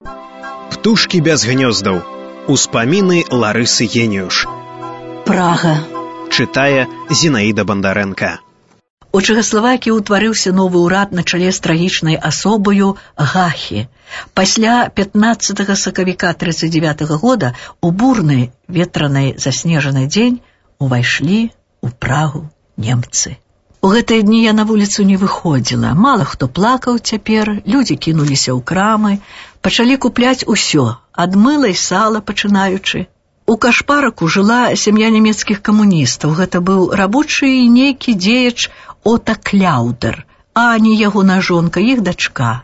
Птушкі без гнёздаў. Успаміны Ларысы Геніюш. Прага. Чытае Зінаіда Бандарэнка. У Чэхаславакіі ўтварыўся новы ўрад на чале з трагічнай асобаю Гахі. Пасля 15 сакавіка 1939 года у бурны ветранай заснежаны дзень увайшлі ў Прагу немцы. У гэтыя дні я на вуліцу не выходзіла. Мала хто плакаў цяпер, людзі кінуліся ў крамы, пачалі купляць усё, ад мыла і сала пачынаючы. У Кашпараку жыла сям'я нямецкіх камуністаў. Гэта быў рабочы і нейкі дзеяч Ота Кляўдер. Ані ягона жонка, іх дачка.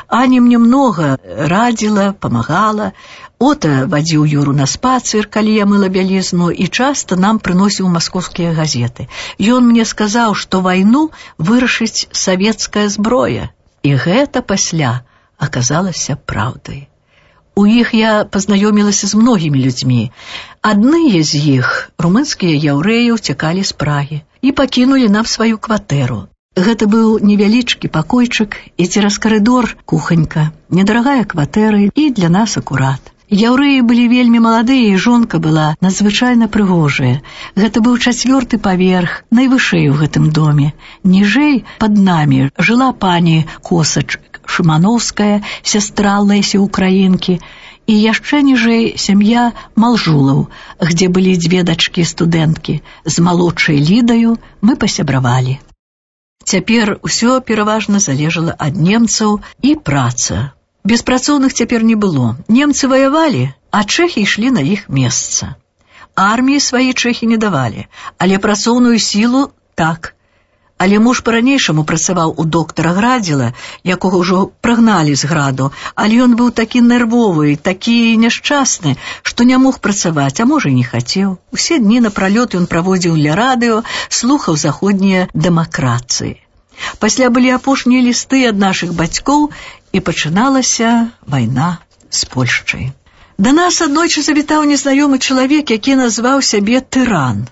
Аня мне многа радзіла, памагала. Ота вадзіў Юру на спацыр, калі я мыла бялізну, і часта нам прыносіў маскоўскія газеты. Ён мне сказаў, што вайну вырашыць савецкая зброя. І гэта пасля аказалася праўдай. У іх я пазнаёмілася з многімі людзьмі. Адныя з іх, румынскія яўрэі, уцякалі з Прагі і пакінулі нам сваю кватэру. Гэта быў невялічкі пакойчык і цераз карыдор куханька, недарагая кватэра і для нас акурат. Яўрэі былі вельмі маладыя, і жонка была надзвычайна прыгожая. Гэта быў 4-й паверх, найвышэй у гэтым доме. Ніжэй пад намі жыла пані Косач Шымановская, сястра Лесі Украінкі, і яшчэ ніжэй сям'я Малжулаў, где былі 2 дачкі-студэнткі. З малодшай Лідаю мы пасябравалі. Цяпер усё пераважна залежала ад немцаў і праца. Беспрацоўных цяпер не было. Немцы ваявалі, а чэхі ішлі на іх месца. Арміі свае чэхі не давалі, але працоўную сілу так. Але муж па-ранейшаму працаваў у доктара Градзіла, якога ўжо прагналі з граду, але ён быў такі нервовы, такі няшчасны, што не мог працаваць, а можа і не хацеў. Усе дні напралёт ён праводзіў ля радыё, слухаў заходнія дэмакратыі. Пасля былі апошнія лісты ад нашых бацькоў, і пачыналася вайна з Польшчай. Да нас аднойчы завітаў незнаёмы чалавек, які назваў сябе тыран.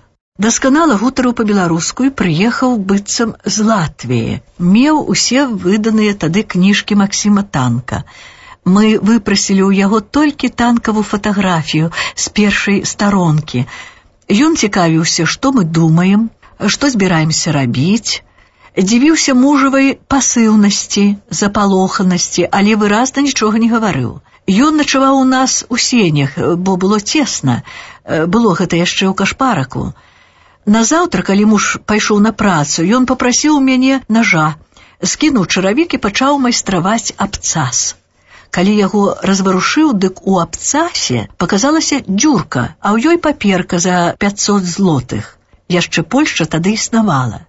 Дасканала гутарыў па-беларуску і прыехаў быццам з Латвіі. Меў усе выданыя тады кніжкі Максіма Танка. Мы выпрасілі ў яго толькі танкавую фатаграфію з першай старонкі. Ён цікавіўся, што мы думаем, што збіраемся рабіць. Дзівіўся мужавай пасыўнасці, запалоханасці, але выразна нічога не гаварыў. Ён начаваў у нас у сенях, бо было цесна. Было гэта яшчэ ў Кашпараку. Назаўтра, калі муж пайшоў на працу, ён папрасіў у мяне нажа, скінуў чаравік і пачаў майстраваць абцас. Калі яго разварушыў, дык у абцасе паказалася дзюрка, а ў ёй паперка за 500 злотых. Яшчэ Польшча тады існавала.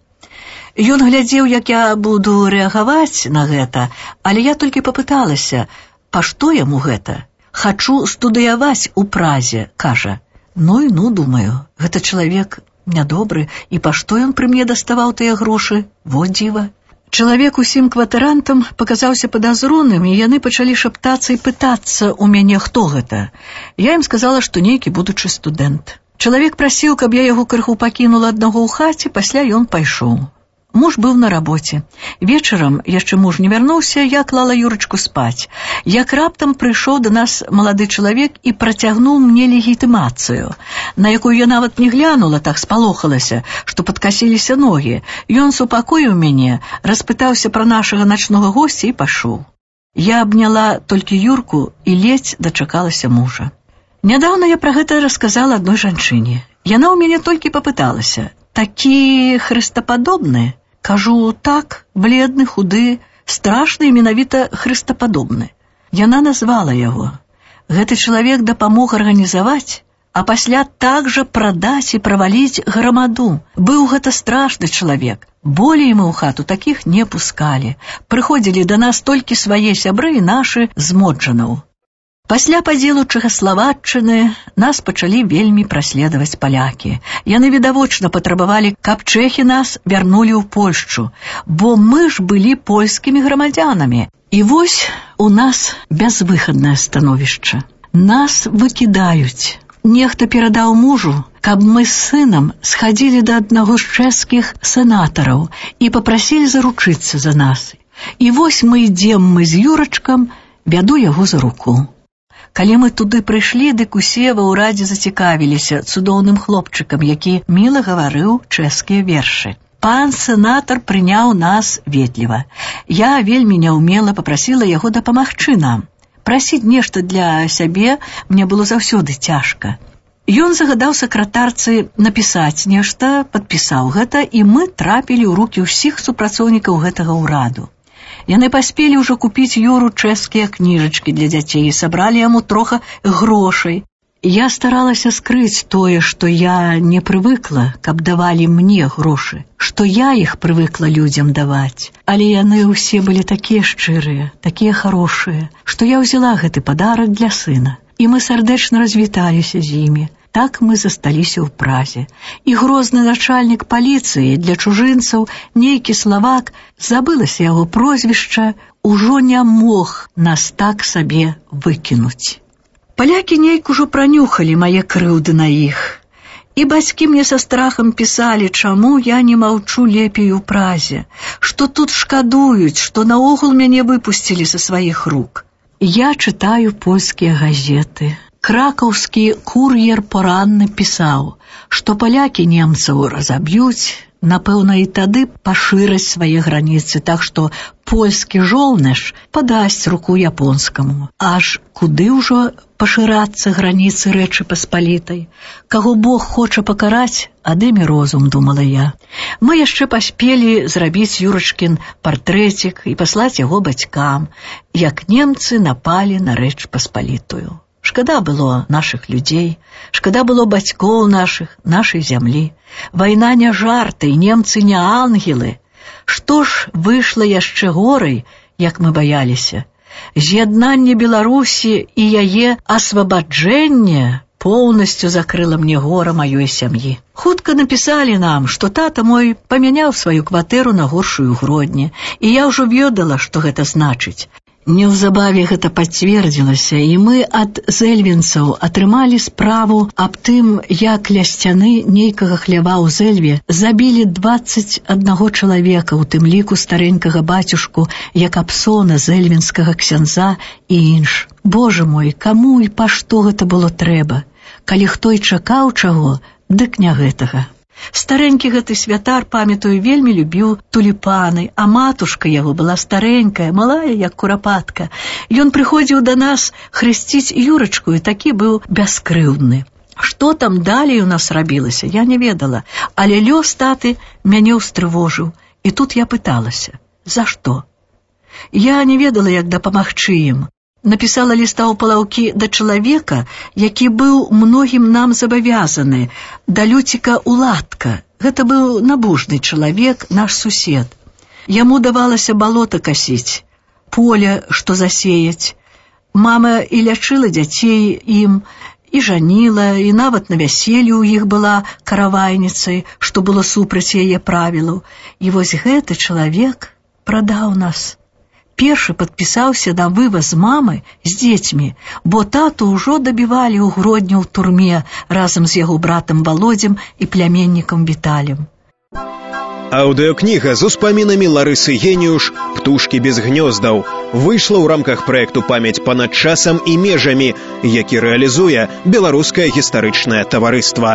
Ён глядзеў, як я буду рэагаваць на гэта, але я толькі папыталася, па што яму гэта? Хачу студыяваць у Празе, кажа. Ну і ну, думаю, гэта чалавек нядобры, і па што ён пры мне даставаў тыя грошы? Во дзіва. Чалавек усім кватарантам паказаўся падазроным, і яны пачалі шаптацца і пытацца ў мяне, хто гэта. Я ім сказала, што нейкі будучы студэнт. Чалавек прасіў, каб я яго крыху пакінула аднаго ў хаце, пасля ён пайшоў. Муж быў на рабоце. Вечарам, яшчэ муж не вярнуўся, я клала Юрачку спаць. Як раптам прыйшоў да нас малады чалавек і працягнуў мне легітымацыю, на якую я нават не глянула, так спалохалася, што падкасіліся ногі. Ён супакоіў мяне, распытаўся пра нашага начнога госця і пашоў. Я абняла толькі Юрку і ледзь дачакалася мужа. Нядаўна я пра гэта расказала адной жанчыне. Яна ў мяне толькі папыталася: «Такі хрыстападобны?» Кажу, так, бледны, худы, страшны і менавіта хрыстападобны. Яна назвала яго. Гэты чалавек дапамог арганізаваць, а пасля так жа прадаць і праваліць грамаду. Быў гэта страшны чалавек. Болей мы ў хату такіх не пускалі. Прыходзілі да нас толькі свае сябры і нашы з Моджанаў. Пасля падзелу Чэхаславаччыны нас пачалі вельмі праследаваць палякі. Яны відавочна патрабавалі, каб чэхі нас вярнулі ў Польшчу, бо мы ж былі польскімі грамадзянамі. І вось у нас бязвыхаднае становішча. Нас выкідаюць. Нехта перадаў мужу, каб мы з сынам схадзілі да аднаго з чэшскіх сенатараў і папрасілі заручыцца за нас. І вось мы ідзем з Юрачкам Вяду яго за руку. Калі мы туды прыйшлі, дык усе ва ўрадзе зацікавіліся цудоўным хлопчыкам, які міла гаварыў чэшскія вершы. Пан сенатар прыняў нас ветліва. Я вельмі няўмела папрасіла яго дапамагчы нам. Прасіць нешта для сябе мне было заўсёды цяжка. Ён загадаў сакратарцы напісаць нешта, падпісаў гэта, і мы трапілі ў рукі ўсіх супрацоўнікаў гэтага ўраду. Яны паспелі ўжо купіць Юру чэшскія кніжачкі для дзяцей і сабралі яму трохи грошай. Я старалася скрыць тое, што я не прывыкла, каб давалі мне грошы, што я іх прывыкла людзям даваць. Але яны ўсе былі такія шчырыя, такія харошыя, што я ўзяла гэты падарак для сына. І мы сардэчна развіталіся з імі. Так мы засталіся ў Празе. І грозны начальнік паліцыі для чужынцаў, нейкі славак, забылася яго прозвішча, ужо не мог нас так сабе выкінуць. Палякі нейк ужо пранюхалі мае крыўды на іх. І бацькі мне са страхам пісалі, чаму я не маўчу лепей у Празе, што тут шкадуюць, што наогул мяне выпусцілі са сваіх рук. Я чытаю польскія газеты. Кракаўскі кур'ер поранны пісаў, што палякі немцаў разаб'юць, напэўна, і тады пашыраць свае граніцы, так што польскі жолнаш падасць руку японскаму. Аж куды ўжо пашырацца граніцы Рэчы Паспалітай? Каго Бог хоча пакараць, адыме розум, думала я. Мы яшчэ паспелі зрабіць Юрачкін партрэцік і паслаць яго бацькам, як немцы напалі на Рэч Паспалітую. Шкада было нашых людзей, шкада было бацькоў нашых, нашай зямлі. Вайна не жарты, і немцы не ангелы. Што ж выйшла яшчэ горай, як мы баяліся? З'яднанне Беларусі і яе асвабаджэнне поўнасцю закрыла мне гора маёй сям'і. Хутка напісалі нам, што тата мой памяняў сваю кватэру на горшую Гродні, і я ўжо ведала, што гэта значыць. Неўзабаве гэта пацвердзілася, і мы ад зэльвенцаў атрымалі справу аб тым, як ля сцяны нейкага хлява ў Зэльве забілі 21 чалавека, у тым ліку старэнькага бацюшку Якабсона, зэльвенскага ксяндза і інш. Боже мой, каму і па што гэта было трэба? Калі хто і чакаў чаго, дык не гэтага. Старэнькі гэты святар, памятаю, вельмі любіў туліпаны, а матушка яго была старэнькая, малая, як курапатка. Ён прыходзіў да нас хрысціць Юрачку і такі быў бяскрыўдны. Што там далей у нас рабілася, я не ведала, але лёс таты мяне ўстрывожыў. І тут я пыталася, за што? Я не ведала, як дапамагчы ім. Напісала ліста ў палаўкі да чалавека, які быў многім нам забавязаны, да Люціка Уладка. Гэта быў набожны чалавек, наш сусед. Яму давалася балота касіць, поле, што засеяць. Мама і лячыла дзяцей ім, і жаніла, і нават на вяселлі ў іх была каравайніцай, што было супраць яе правілаў. І вось гэты чалавек прадаў нас. Першы падпісаўся на вываз мамы з дзецьмі, бо тату ўжо дабівалі ў Гродні ў турме разам з яго братам Володзем і пляменнікам Віталем. Аўдыёкніга з успамінамі Ларысы Геніюш «Птушкі без гнёздаў» выйшла ў рамках праекту «Памяць панад часам і межамі», які рэалізуе Беларускае гістарычнае таварыства.